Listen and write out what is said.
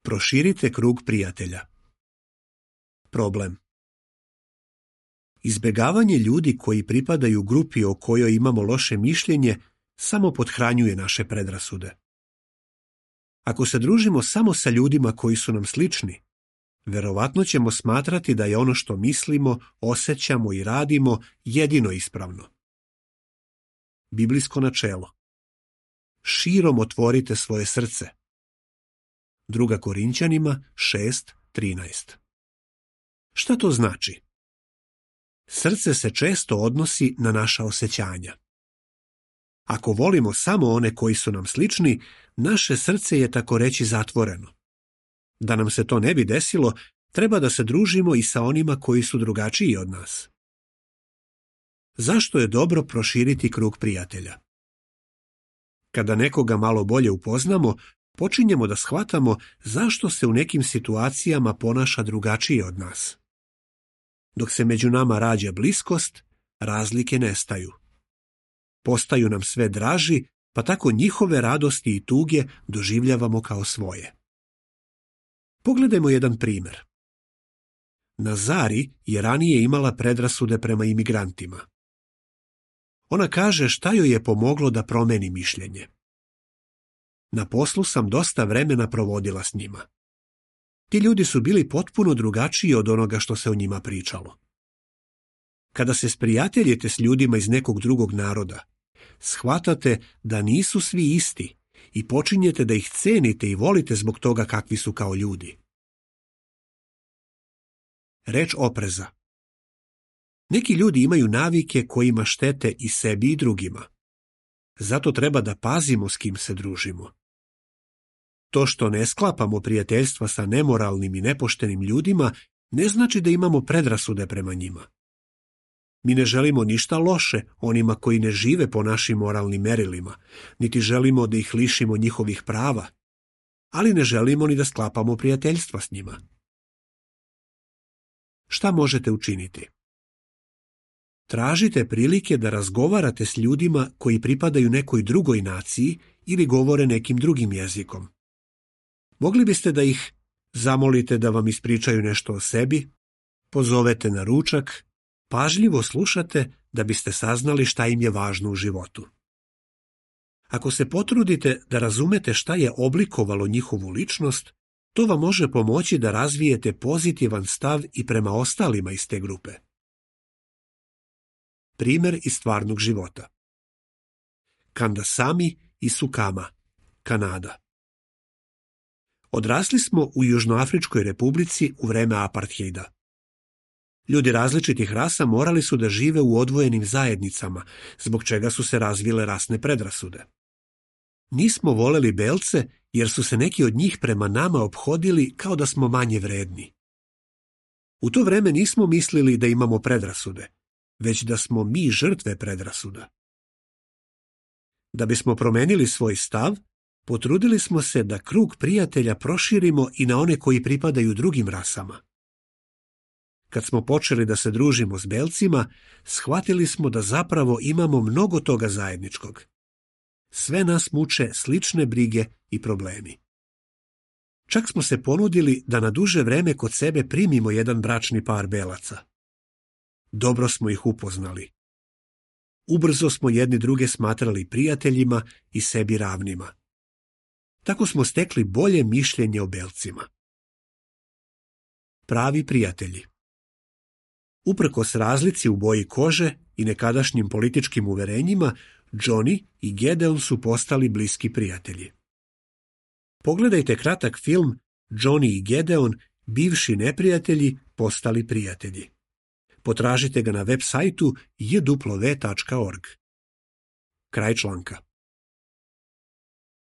Proširite krug prijatelja. Problem. Izbjegavanje ljudi koji pripadaju grupi o kojoj imamo loše mišljenje samo pothranjuje naše predrasude. Ako se družimo samo sa ljudima koji su nam slični, verovatno ćemo smatrati da je ono što mislimo, osjećamo i radimo jedino ispravno. Biblijsko načelo. Širom otvorite svoje srce. 2. Korinćanima 6:13. Šta to znači? Srce se često odnosi na naša osjećanja. Ako volimo samo one koji su nam slični, naše srce je tako reći zatvoreno. Da nam se to ne bi desilo, treba da se družimo i sa onima koji su drugačiji od nas. Zašto je dobro proširiti krug prijatelja? Kada nekoga malo bolje upoznamo, počinjemo da shvatamo zašto se u nekim situacijama ponaša drugačije od nas. Dok se među nama rađa bliskost, razlike nestaju. Postaju nam sve draži, pa tako njihove radosti i tuge doživljavamo kao svoje. Pogledajmo jedan primjer. Nazari je ranije imala predrasude prema imigrantima. Ona kaže šta joj je pomoglo da promeni mišljenje. Na poslu sam dosta vremena provodila s njima. Ti ljudi su bili potpuno drugačiji od onoga što se o njima pričalo. Kada se sprijateljite s ljudima iz nekog drugog naroda, shvatate da nisu svi isti i počinjete da ih cenite i volite zbog toga kakvi su kao ljudi. Reč opreza. Neki ljudi imaju navike kojima štete i sebi i drugima. Zato treba da pazimo s kim se družimo. To što ne sklapamo prijateljstva sa nemoralnim i nepoštenim ljudima ne znači da imamo predrasude prema njima. Mi ne želimo ništa loše onima koji ne žive po našim moralnim merilima, niti želimo da ih lišimo njihovih prava, ali ne želimo ni da sklapamo prijateljstva s njima. Šta možete učiniti? Tražite prilike da razgovarate s ljudima koji pripadaju nekoj drugoj naciji ili govore nekim drugim jezikom. Mogli biste da ih zamolite da vam ispričaju nešto o sebi, pozovete na ručak, pažljivo slušate da biste saznali šta im je važno u životu. Ako se potrudite da razumete šta je oblikovalo njihovu ličnost, to vam može pomoći da razvijete pozitivan stav i prema ostalima iz te grupe. Primer iz stvarnog života. Kandasamy i Sukama, Kanada. Odrasli smo u Južnoafričkoj republici u vreme apartheida. Ljudi različitih rasa morali su da žive u odvojenim zajednicama, zbog čega su se razvile rasne predrasude. Nismo voleli belce jer su se neki od njih prema nama ophodili kao da smo manje vredni. U to vreme nismo mislili da imamo predrasude, već da smo mi žrtve predrasuda. Da bismo promenili svoj stav, potrudili smo se da krug prijatelja proširimo i na one koji pripadaju drugim rasama. Kad smo počeli da se družimo s belcima, shvatili smo da zapravo imamo mnogo toga zajedničkog. Sve nas muče slične brige i problemi. Čak smo se ponudili da na duže vreme kod sebe primimo jedan bračni par belaca. Dobro smo ih upoznali. Ubrzo smo jedni druge smatrali prijateljima i sebi ravnima. Tako smo stekli bolje mišljenje o belcima. Pravi prijatelji. Uprkos razlici u boji kože i nekadašnjim političkim uverenjima, Johnny i Gedeon su postali bliski prijatelji. Pogledajte kratak film Johnny i Gedeon, bivši neprijatelji, postali prijatelji. Potražite ga na web sajtu jw.org. Kraj članka.